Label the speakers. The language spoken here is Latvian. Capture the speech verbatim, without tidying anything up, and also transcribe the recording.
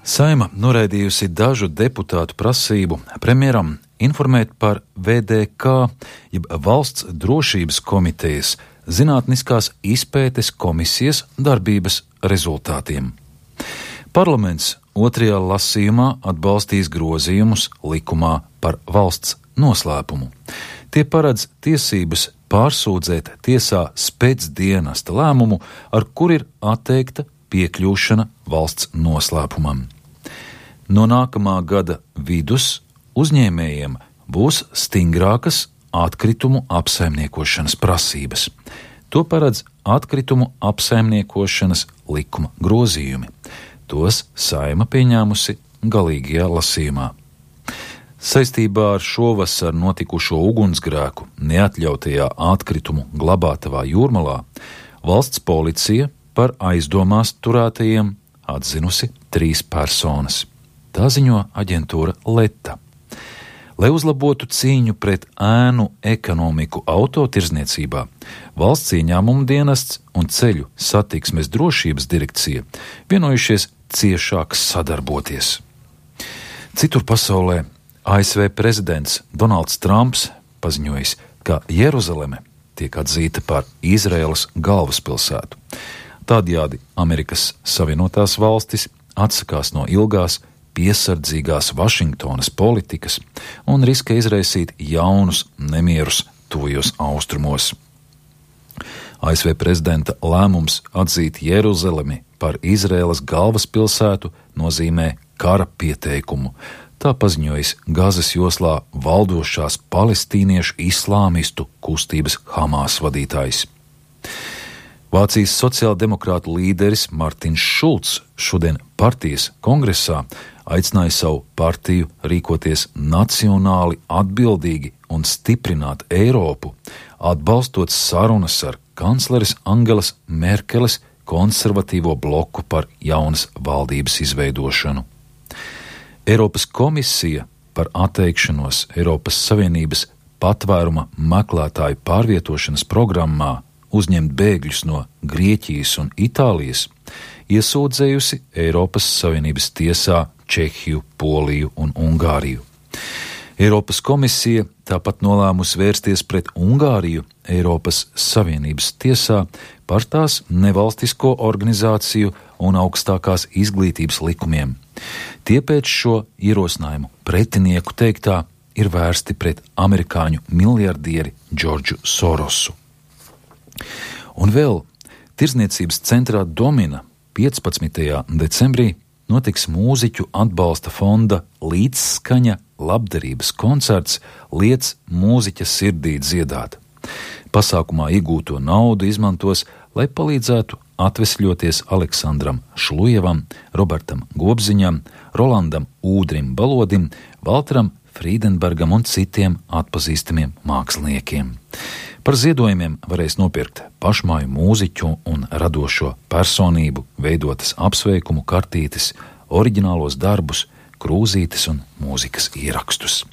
Speaker 1: Saeima noraidījusi dažu deputātu prasību premjeram informēt par V D K, jeb Valsts drošības komitejas zinātniskās izpētes komisijas darbības rezultātiem. Parlaments otrajā lasījumā atbalstīs grozījumus likumā par valsts noslēpumu. Tie paredz tiesības pārsūdzēt tiesā spēcdienesta lēmumu, ar kur ir atteikta piekļūšana valsts noslēpumam. No nākamā gada vidus uzņēmējiem būs stingrākas atkritumu apsaimniekošanas prasības. To paredz atkritumu apsaimniekošanas likuma grozījumi. Tos Saeima pieņēmusi galīgajā lasījumā. Saistībā ar šovasar notikušo ugunsgrēku neatļautajā atkritumu glabātavā Jūrmalā valsts policija par aizdomās turētajiem atzinusi trīs personas. Tā ziņo aģentūra Leta. Lai uzlabotu cīņu pret ēnu ekonomiku autotirzniecībā, valsts ieņēmumu dienests un ceļu satiksmes drošības direkcija vienojušies ciešāk sadarboties. Citur pasaulē A S V prezidents Donalds Trumps paziņojis, ka Jeruzaleme tiek atzīta par Izraēlas galvaspilsētu. Tādējādi Amerikas Savienotās valstis atsakās no ilgās, piesardzīgās Vašingtonas politikas un riskē izraisīt jaunus nemierus tuvajos austrumos. A S V prezidenta lēmums atzīt Jeruzalemi par Izraēlas galvaspilsētu nozīmē kara pieteikumu. Tā paziņojis Gazas joslā valdošās palestīniešu islāmistu kustības Hamas vadītājs. Vācijas sociāldemokrātu līderis Martins Šulcs šodien partijas kongresā aicināja savu partiju rīkoties nacionāli atbildīgi un stiprināt Eiropu, atbalstot sarunas ar kancleres Angelas Merkeles konservatīvo bloku par jaunas valdības izveidošanu. Eiropas komisija par atteikšanos Eiropas Savienības patvēruma meklētāju pārvietošanas programmā uzņemt bēgļus no Grieķijas un Itālijas, iesūdzējusi Eiropas Savienības tiesā Čehiju, Poliju un Ungāriju. Eiropas komisija tāpat nolēmusi vērsties pret Ungāriju Eiropas Savienības tiesā par tās nevalstisko organizāciju un augstākās izglītības likumiem. Tie pēc šo ierosinājumu pretinieku teiktā ir vērsti pret amerikāņu miljardieri Džordžu Sorosu. Un vēl Tirdzniecības centrā Domina piecpadsmitajā decembrī notiks mūziķu atbalsta fonda Līdzskaņa labdarības koncerts Liec mūziķa sirdī dziedāt. Pasākumā iegūto naudu izmantos, lai palīdzētu atvesļoties Aleksandram Šlujevam, Robertam Gobziņam, Rolandam Ūdrim Balodim, Valteram Frīdenbergam un citiem atpazīstamiem māksliniekiem. Par ziedojumiem varēs nopirkt pašmāju mūziķu un radošo personību veidotas apsveikumu kartītes, oriģinālos darbus, krūzītes un mūzikas ierakstus.